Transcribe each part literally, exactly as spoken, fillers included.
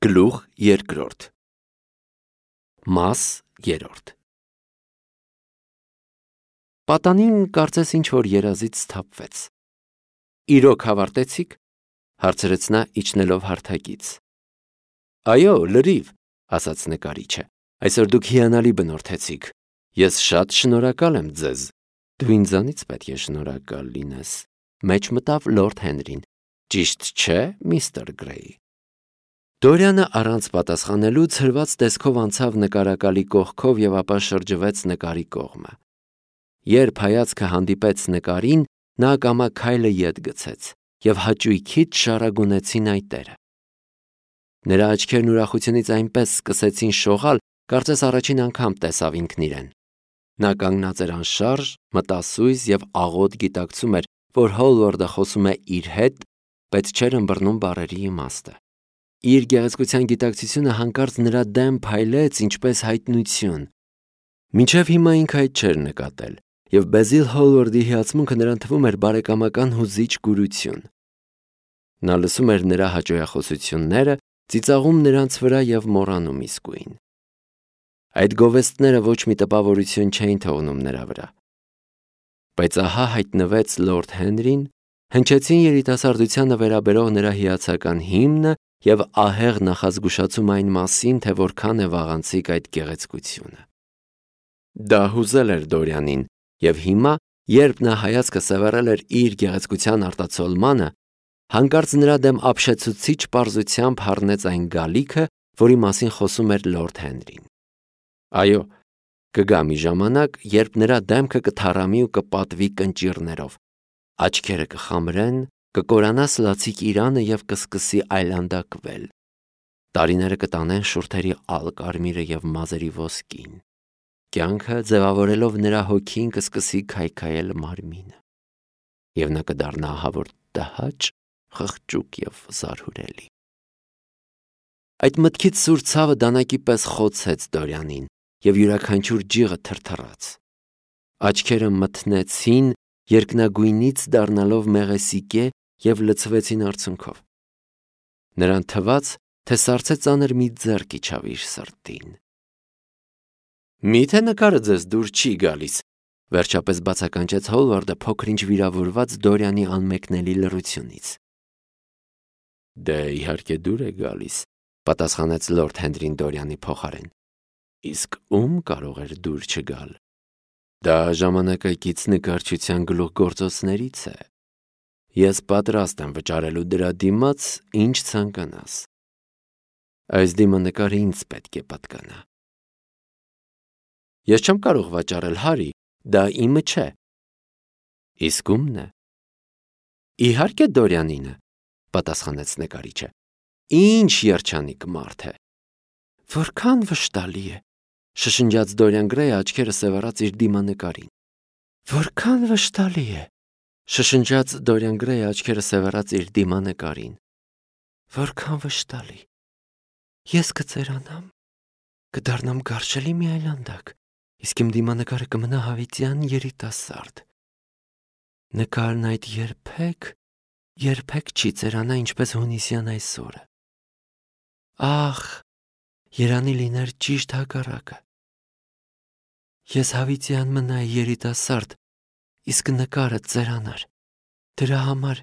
Գլուխ երկրորդ Մաս երրորդ Պատանին կարծես ինչ-որ երազից սթափվեց։ Իրոք հավարտեցի՞ք, հարցրեց նա իջնելով հարթակից։ Այո, լրիվ, ասաց նկարիչը, այսօր դուք հիանալի բնորդեցիք։ Ես շատ շնորհակալ եմ ձեզ։ Դու ինձանից պետք է շնորհակալ լինես, մեջ մտավ լորդ Հենրին։ Ճիշտ չէ, միստր Գրեյ։ Դորյանը առանց պատասխանելու ցրված տեսքով անցավ նկարակալի կողքով և ապա շրջվեց նկարի կողմը։ Երբ հայացքը հանդիպեց նկարին, նա ակամա քայլը ետ գցեց և հաճույքից շարագունեցին այտերը։ Նրա աչքերն ուրախությունից այնպես սկսեցին շողալ, կարծես առաջին անգամ տեսավ ինքն իրեն։ Նա կանգնած էր անշարժ, մտասույզ և աղոտ գիտակցում էր, որ Հոլվարդը խոսում է իր հետ, բայց չէր ըմբռնում բառերի իմաստը։ Իր գեղեցկության գիտակցությունը հանկարծ նրա դեմ փայլեց ինչպես հայտնություն։ Մինչև հիմա ինքը այդ չէր նկատել, և Բեզիլ Հոլվարդի հիացմունքը նրան թվում էր բարեկամական հուզիչ կուրություն։ Նա լսում էր նրա հաճոյախոսությունները, ծիծաղում նրանց վրա և մոռանում իսկույն։ Այդ գովեստները ոչ մի տպավորություն չէին թողնում նրա վրա։ Բայց ահա հայտնվեց լորդ Հենրին, հնչեցին երիտասարդությանը վերաբերող նրա հիացական հիմնը և ահեղ նախազգուշացում այն մասին, թե որքան է վաղանցիկ այդ գեղեցկությունը։ Դա հուզել էր Դորյանին, և հիմա, երբ նա հայացքը սևեռել էր իր գեղեցկության արտացոլմանը, հանկարծ նրա դեմ ապշեցուցիչ պարզությամբ հառնեց այն գալիքը, որի մասին խոսում էր լորդ Հենրին։ Այո, կգա մի ժամանակ, երբ նրա դեմքը կթառամի ու կպատվի կնճիռներով, աչքերը կխամրեն, կկորանա սլացիկ իրանը և կսկսի այլանդակվել։ Տարիները կտանեն շուրթերի ալ կարմիրը և մազերի ոսկին։ Կյանքը ձևավորելով նրա հոգին կսկսի քայքայել մարմինը, և նա կդառնա ահավոր տհաճ, խղճուկ և զարհուրելի։ Այդ մտքից սուր ցավը դանակի պես խոցեց Դորյանին, և յուրաքանչյուր ջիղը թրթռաց։ Աչքերը մթնեցին, երկնագույնից դառնալով մեղեսիկե և լցվեցին արցունքով։ Նրան թվաց, թե սառցե ծանր մի ձեռք իջավ իր սրտին։ Մի՞թե նկարը ձեզ դուր չի գալիս, վերջապես բացականչեց Հոլվարդը փոքր-ինչ վիրավորված Դորյանի անմեկնելի լռությունից։ Դե իհարկե դուր է գալիս, պատասխանեց լորդ Հենրին Դորյանի փոխարեն։ Իսկ ում կարող էր դուր չգալ։ Դա ժամանակակից նկարչության գլուխգործոցներից է։ Ես պատրաստ եմ վճարելու դրա դիմաց, ինչ ցանկանաս։ Այս դիմանկարը ինձ պետք է պատկանա։ Ես չեմ կարող վաճառել, Հարի, դա իմը չէ։ Իսկ ումն է։ Իհարկե Դորյանինը, պատասխանեց նկարիչը։ Ինչ երջանիկ մարդ է։ Որքան վշտալի է, շշնջաց Դորյան Գրեյը աչքերը սևեռած իր դիմանկարին։ Որքան վշտալի է, շշնջաց Դորյան Գրեյը աչքերը սևեռած իր դիմանկարին։ Որքան վշտալի։ Ես կծերանամ, կդառնամ գարշելի մի այլանդակ, իսկ իմ դիմանկարը կմնա հավիտյան երիտասարդ։ Նկարն այդ երբեք, երբեք չի ծերանա ինչպես հունիսյան այսօրը։ Ախ, երանի լիներ ճիշտ հակառակը։ Ես հավիտյան մնայի երիտասարդ, իսկ նկարը ծերանար։ Դրա համար,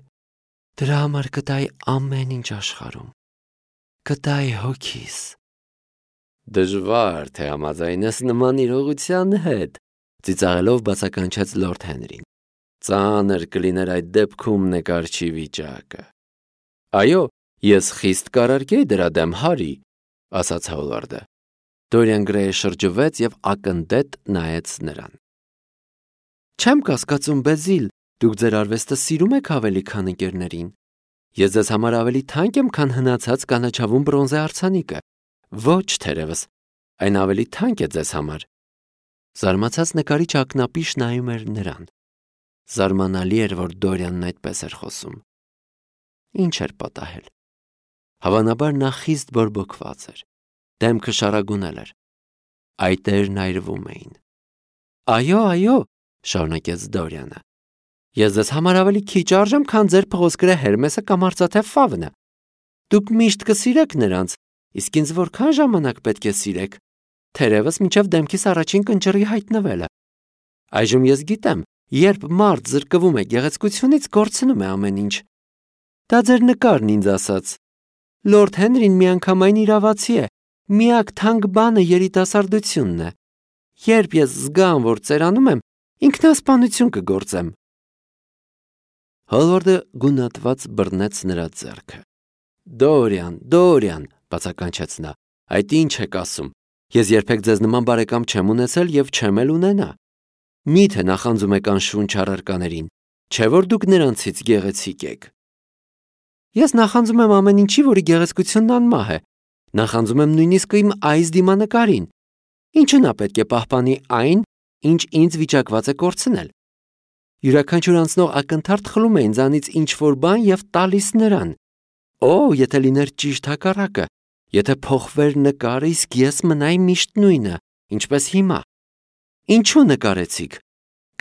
դրա համար կտայի ամեն ինչ աշխարհում։ Կտայի հոգիս։ Դժվար թե համաձայնես նման իրողության հետ, ծիծաղելով բացականչեց լորդ Հենրին։ Ծանր կլիներ այդ դեպքում նկարչի վիճակը։ Այո, ես խիստ կարարկեի դրա դեմ, Հարի, ասաց Հոլվարդը։ Դորյան Գրեյը շրջվեց և ակնդետ նայեց նրան։ Չեմ կասկածում, Բեզիլ, դուք ձեր արվեստը սիրում եք ավելի, քան ընկերներին։ Ես ձեզ համար ավելի թանկ եմ, քան հնացած կանաչավուն բրոնզե արձանիկը։ Ոչ, թերևս, այն ավելի թանկ է ձեզ համար։ Զարմացած նկարիչը ակնապիշ նայում էր նրան։ Զարմանալի էր, որ Դորյանն այդպես էր խոսում։ Ինչ էր պատահել։ Հավանաբար նա խիստ բորբոքված էր։ Դեմքը շարագունել էր։ Այտերն այրվում էին։ Այո, այո, շարունակեց Դորյանը։ Ես ձեզ համար ավելի քիչ արժեմ, քան ձեր փղոսկրե Հերմեսը կամ արծաթե Ֆավնը։ Դուք միշտ կսիրեք նրանց, Իսկ ինձ որքան ժամանակ պետք է սիրեք, թերևս մինչև դեմքիս առաջին կնճռի հայտնվելը։ Այժմ ես գիտեմ, երբ մարդ զրկվում է գեղեցկությունից, կորցնում է ամեն ինչ։ Դա ձեր նկարն ինձ ասաց։ Լորդ Հենրին միանգամայն իրավացի է, միակ թանկ բանը երիտասարդությունն է։ Երբ ես զգամ, որ ծերանում եմ, ինքնասպանություն կգործեմ։ Հոլվարդը գունատված բռնեց նրա ձեռքը։ Դորիան, Դորիան, բացականչեց նա, այդ ինչ եք ասում։ Ես երբեք ձեզ նման բարեկամ չեմ ունեցել և չեմ էլ ունենա։ Միթե նախանձում եք անշունչ առարկաներին, չէ՞ որ դուք նրանցից գեղեցիկ եք։ Ես նախանձում եմ ամեն ինչի, որի գեղեցկությունն անմահ է։ Նախանձում եմ նույնիսկ իմ այս դիմանկարին։ Ինչու նա պետք է պահպանի այն, ինչ ինձ վիճակված է կորցնել։ Յուրաքանչյուր անցնող ակնթարթ խլում է ինձանից ինչ-որ բան և տալիս նրան։ Օ, եթե լիներ ճիշտ հակառակը, եթե փոխվեր նկարը, իսկ ես մնայի միշտ նույնը, ինչպես հիմա։ Ինչու նկարեցիք։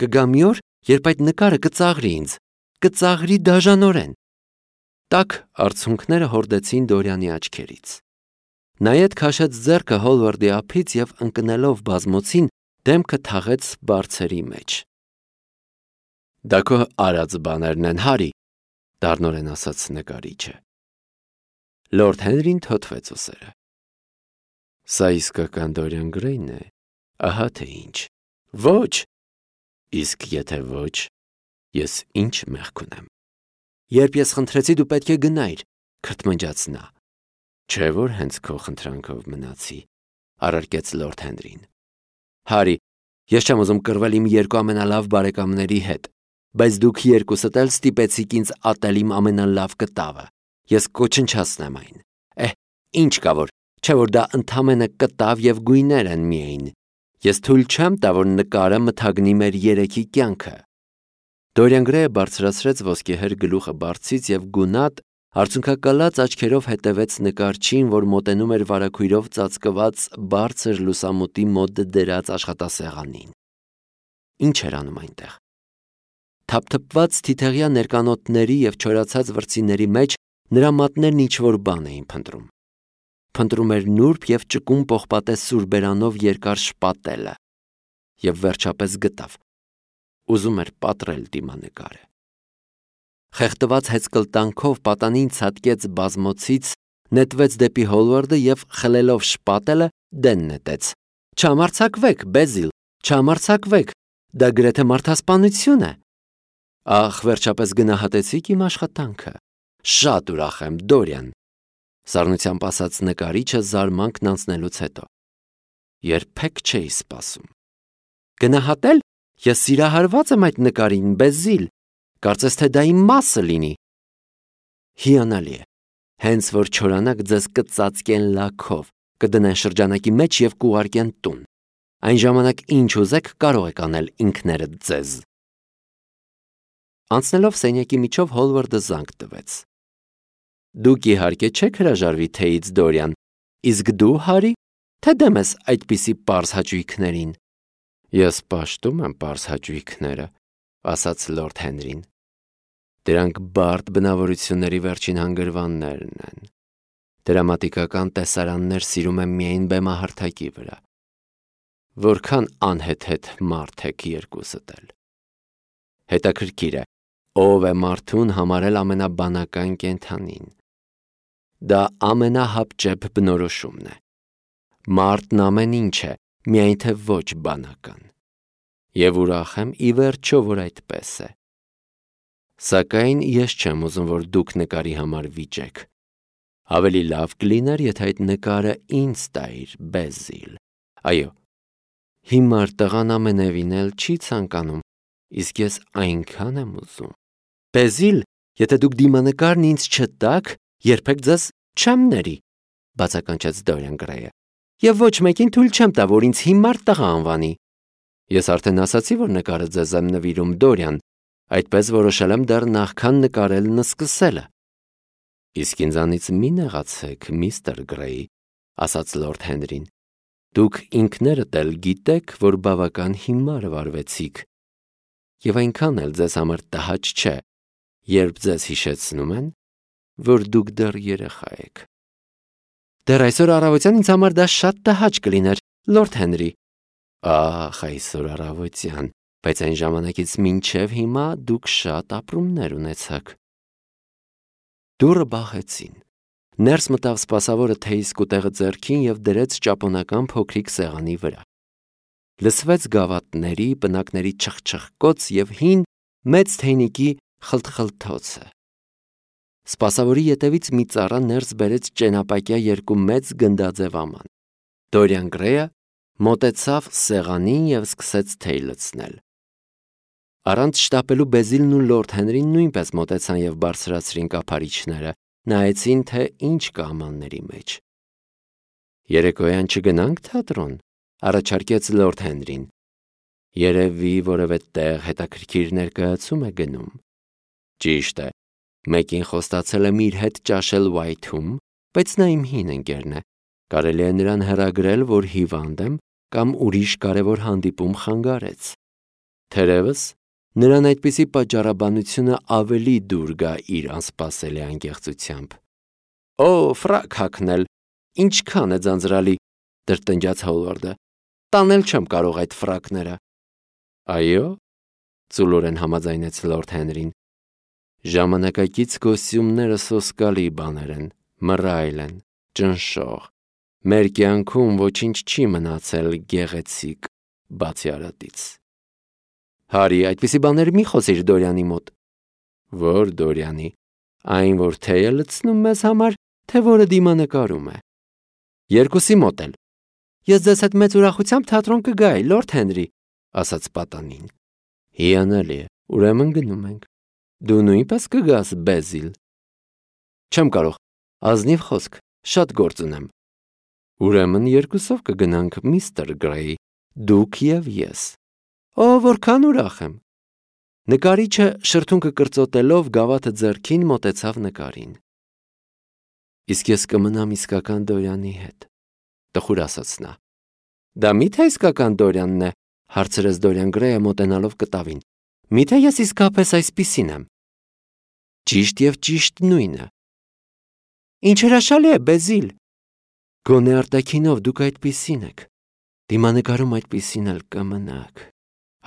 Կգա մի օր, երբ այդ նկարը կծաղրի ինձ, կծաղրի դաժանորեն։ Տաք արցունքները հորդեցին Դորյանի աչքերից։ Նա ետ քաշեց ձեռքը Հոլվարդի ափից և ընկնելով բազմոցին, դեմքը թաղեց բարձերի մեջ։ Դա քո արած բաներն են, Հարի, դառնորեն ասաց նկարիչը։ Լորդ Հենրին թոթվեց ուսերը։ Սա իսկական Դորիան Գրեյն է, ահա թե ինչ։ Ոչ։ Իսկ եթե ոչ, ես ինչ մեղք ունեմ։ Երբ ես խնդրեցի, դու պետք է գնայիր, քրթմնջաց նա։ Չէ՞ որ հենց քո խնդրանքով մնացի, առարկեց Լորդ Հենրին։ Հարի, ես չեմ ուզում կռվել իմ երկու ամենալավ բարեկամների հետ, բայց դուք երկուսդ էլ ստիպեցիք ինձ ատել իմ ամենալավ կտավը։ Ես կոչնչացնեմ այն։ Էհ, ինչ կա որ, չէ՞ որ դա ընդամենը կտավ և գույներ են միայն։ Ես թույլ չեմ տա, որ նկարը մթագնի մեր երեքի կյանքը։ Դորիան Գրեյը բարձրացրեց ոսկեհեր գլուխը բարձից և գունատ, արցունքակալած աչքերով հետևեց նկարչին, որ մոտենում էր վարագույրով ծածկված բարձր լուսամուտի մոտ դրած աշխատասեղանին։ Ինչ էր անում այնտեղ։ Թափթփված թիթեղյա ներկանոթների և չորացած վրձիների մեջ նրա մատներն ինչ-որ բան էին փնտրում։ Փնտրում էր նուրբ և ճկուն պողպատե սուրբերանով երկար շպատելը և վերջապես գտավ։ Ուզում էր պատռել դիմանկարը։ Խեղդված հեծկլտանքով պատանին ցատկեց բազմոցից, նետվեց դեպի Հոլվարդը և խլելով շպատելը դեն նետեց։ Չհամարձակվեք, Բեզիլ, չհամարձակվեք, դա գրեթե մարդասպանություն է։ Ախ, վերջապես գնահատեցիք իմ աշխատանքը։ Շատ ուրախ եմ, Դորիան, սառնությամբ ասաց նկարիչը զարմանքն անցնելուց հետո։ Երբեք չէի սպասում։ Գնահատել։ Ես սիրահարված եմ այդ նկարին, Բեզիլ, կարծես թե դա իմ մասը լինի։ Հիանալի է, հենց որ չորանաք ձեզ կծածկեն լաքով, կդնեն շրջանակի մեջ և կուղարկեն տուն։ Այն ժամանակ ինչ ուզեք կարող եք անել ինքներդ ձեզ։ Անցնելով սենյակի միջով Հոլվարդը զանգ տվեց։ Դուք իհարկե չեք հրաժարվի թեյից, Դորիան, իսկ դու, Հարի, թե դեմ ես այդպիսի պարզ հաճույքներին։ Ես պաշտում եմ պարզ հաճույքները, ասաց Լորդ Հենրին։ Դրանք բարդ բնավորությունների վերջին հանգրվաններն են։ Դրամատիկական տեսարաններ սիրում եմ միայն բեմահարթակի վրա։ Որքան անհեթեթ մարդ եք երկուսդ էլ։ Հետաքրքիր է, ով է մարդուն համարել ամենաբանական կենդանին։ Դա ամենահապճեպ բնորոշումն է։ Մարդն ամեն ինչ է, միայն թե ոչ բանական։ Եվ ուրախ եմ ի վերջո, որ այդպես է։ Սակայն ես չեմ ուզում, որ դուք նկարի համար վիճեք։ Ավելի լավ կլիներ, եթե այդ նկարը ինձ տայիր, Բեզիլ։ Այո, հիմար տղան ամենևին էլ չի ցանկանում, իսկ ես այնքան եմ ուզում։ Բեզիլ, եթե դուք դիմանկարն ինձ չտաք, երբեք ձեզ չեմ ների, բացականչեց Դորիան Գրեյը։ Եվ ոչ մեկին թույլ չեմ տա, որ ինձ հիմար տղա անվանի։ Ես արդեն ասացի, որ նկարը ձեզ եմ նվիրում, Դորիան, այդպես որոշել եմ դեռ նախքան նկարելն սկսելը։ Իսկ ինձանից մի նեղացեք, միստր Գրեյ, ասաց Լորդ Հենրին։ Դուք ինքներդ էլ գիտեք, որ բավական հիմար վարվեցիք, և այնքան էլ ձեզ համար տհաճ չէ, երբ ձեզ հիշեցնում են, որ դուք դեռ երեխա եք։ Դեռ այսօր առավոտյան ինձ համար դա շատ տհաճ կլիներ, Լորդ Հենրի։ Ահ, այսօր առավոտյան, բայց այն ժամանակից մինչև հիմա դուք շատ ապրումներ ունեցաք։ Դուռը բախեցին։ Ներս մտավ սպասավորը թեյի սկուտեղը ձեռքին և դրեց ճապոնական փոքրիկ սեղանի վրա։ Լսվեց գավաթների, պնակների չխչխկոց և հին մեծ թեյնիկի խլթխլթոցը։ Սպասավորի ետևից մի ծառա ներս բերեց ճենապակյա երկու մեծ գնդաձև աման։ Դորիան Գրեյը մոտեցավ սեղանին և սկսեց թեյ լցնել։ Առանց շտապելու Բեզիլն ու Լորդ Հենրին նույնպես մոտեցան և բարձրացրին կափարիչները, նայեցին, թե ինչ կա ամանների մեջ։ Երեկոյան չգնանք թատրոն, առաջարկեց Լորդ Հենրին։ Երևի որևէ տեղ հետաքրքիր ներկայացում է գնում։ Ճիշտ է, մեկին խոստացել եմ իր հետ ճաշել Ուայթում, բայց նա իմ հին ընկերն է։ Կարելի է նրան հեռագրել, որ հիվանդ եմ կամ ուրիշ կարևոր հանդիպում խանգարեց։ Թերևս նրան այդպիսի պատճառաբանությունը ավելի դուր գա իր անսպասելի անկեղծությամբ։ Օ, ֆրակ հագնել, ինչքան է ձանձրալի, տրտնջաց Հոլվարդը։ Տանել չեմ կարող այդ ֆրակները։ Այո, ծուլորեն համաձայնեց Լորդ Հենրին։ Ժամանակակից կոստյումները սոսկալի բաներ են, մռայլ են, ճնշող։ Մեր կյանքում ոչինչ չի մնացել գեղեցիկ, բացի արատից։ Հարի, այդպիսի բաներ մի խոսիր Դորյանի մոտ։ Որ Դորյանի, այն, որ թեյ է լցնում մեզ համար, թե որը դիմանկարում է։ Երկուսի մոտ էլ։ Ես ձեզ հետ մեծ ուրախությամբ թատրոն կգայի, Լորդ Հենրի, ասաց պատանին։ Հիանալի է, ուրեմն գնում ենք։ Դու նույնպես կգաս, Բեզիլ։ Չեմ կարող, ազնիվ խոսք, շատ գործ ունեմ։ Ուրեմն երկուսով կգնանք, միստր Գրեյ, դուք և ես։ Օ, որքան ուրախ եմ։ Նկարիչը շրթունքը կրծոտելով գավաթը ձեռքին մոտեցավ նկարին։ Իսկ ես կմնամ իսկական Դորյանի հետ, տխուր ասաց նա։ Դա մի՞թե իսկական Դորյանն է, հարցրեց Դորիան Գրեյը մոտենալով կտավին։ Մի՞թե ես իսկապես այսպիսին եմ։ Ճիշտ և ճիշտ նույնը։ Ինչ հրաշալի է, Բեզիլ։ Գոնե արտաքինով դուք այդպիսին եք, դիմանկարում այդպիսին էլ կմնաք,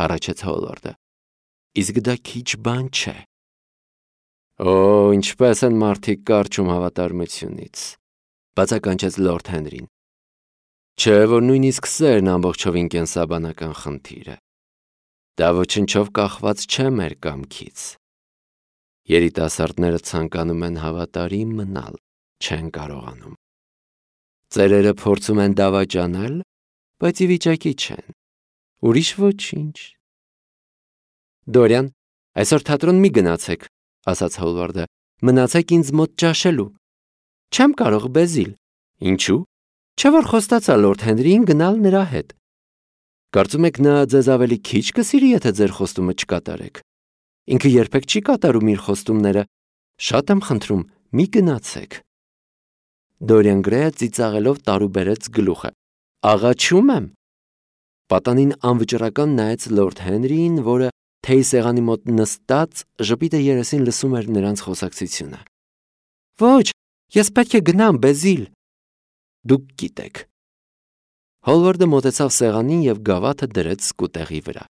հառաչեց Հոլվարդը։ Իսկ դա քիչ բան չէ։ Օ, ինչպես են մարդիկ կարճում հավատարմությունից, բացականչեց Լորդ Հենրին։ Չէ, որ նույնիսկ սերն ամբողջովին կենսաբանական խնդիր է։ Դա ոչնչով կախված չէ մեր կամքից։ Երիտասարդները ցանկանում են հավատարիմ մնալ, չեն կարողանում։ Ծերերը փորձում են դավաճանել, բայց ի վիճակի չեն։ Ուրիշ ոչինչ։ Դորյան, այսօր թատրոն մի գնացեք, ասաց Հոլվարդը, մնացեք ինձ մոտ ճաշելու։ Չեմ կարող, Բեզիլ։ Ինչու՞։ Չէ՞ որ խոստացա Լորդ Հենրիին գնալ նրա հետ։ Կարծում եք նա ձեզ ավելի քիչ կսիրի, եթե ձեր խոստումը չկատարեք։ Ինքը երբեք չի կատարում իր խոստումները։ Շատ եմ խնդրում, մի գնացեք։ Դորիան Գրեյը ծիծաղելով տարուբերեց գլուխը։ Աղաչում եմ։ Պատանին անվճռական նայեց Լորդ Հենրիին, որը թեյ սեղանի մոտ նստած ժպիտը երեսին լսում էր նրանց խոսակցությունը։ Ոչ, ես պետք է գնամ, Բեզիլ։ Դուք գիտեք։ Հոլվարդը մոտեցավ սեղանին և գավաթը դրեց սկուտեղի վրա։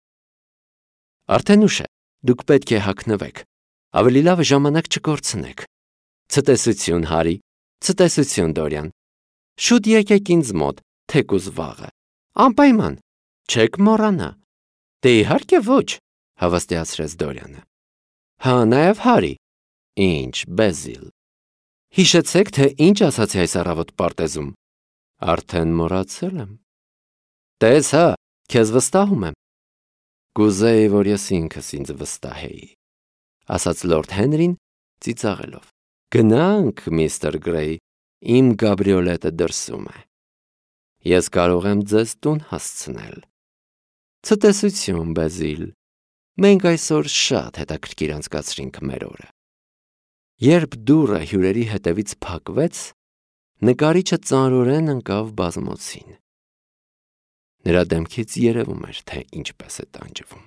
Արդեն ուշ է, դուք պետք է հագնվեք։ Ավելի լավ է ժամանակ չկորցնեք։ Ցտեսություն, Հարի, ցտեսություն, Դորյան։ Շուտ եկեք ինձ մոտ, թեկուզ վաղը։ Անպայման, չեք մոռանա։ Դե իհարկե ոչ, հավաստիացրեց Դորյանը։ Հա, նաև Հարի։ Ինչ, Բեզիլ։ Հիշեցեք, թե ինչ ասացի այս առավոտ պարտեզում։ Արդեն մոռացել եմ։ Տես հա, քեզ վստահում եմ։ Կուզեի, որ ես ինքս ինձ վստահեի, ասաց Լորդ Հենրին ծիծաղելով։ Գնանք, միստր Գրեյ, իմ գաբրիոլետը դրսում է։ Ես կարող եմ ձեզ տուն հասցնել։ Ցտեսություն, Բեզիլ։ Մենք այսօր շատ հետաքրքիր անցկացրինք մեր օրը։ Երբ դուռը հյուրերի հետևից փակվեց, նկարիչը ծանրորեն ընկավ բազմոցին։ Նրա դեմքից երևում էր, թե ինչպես է տանջվում։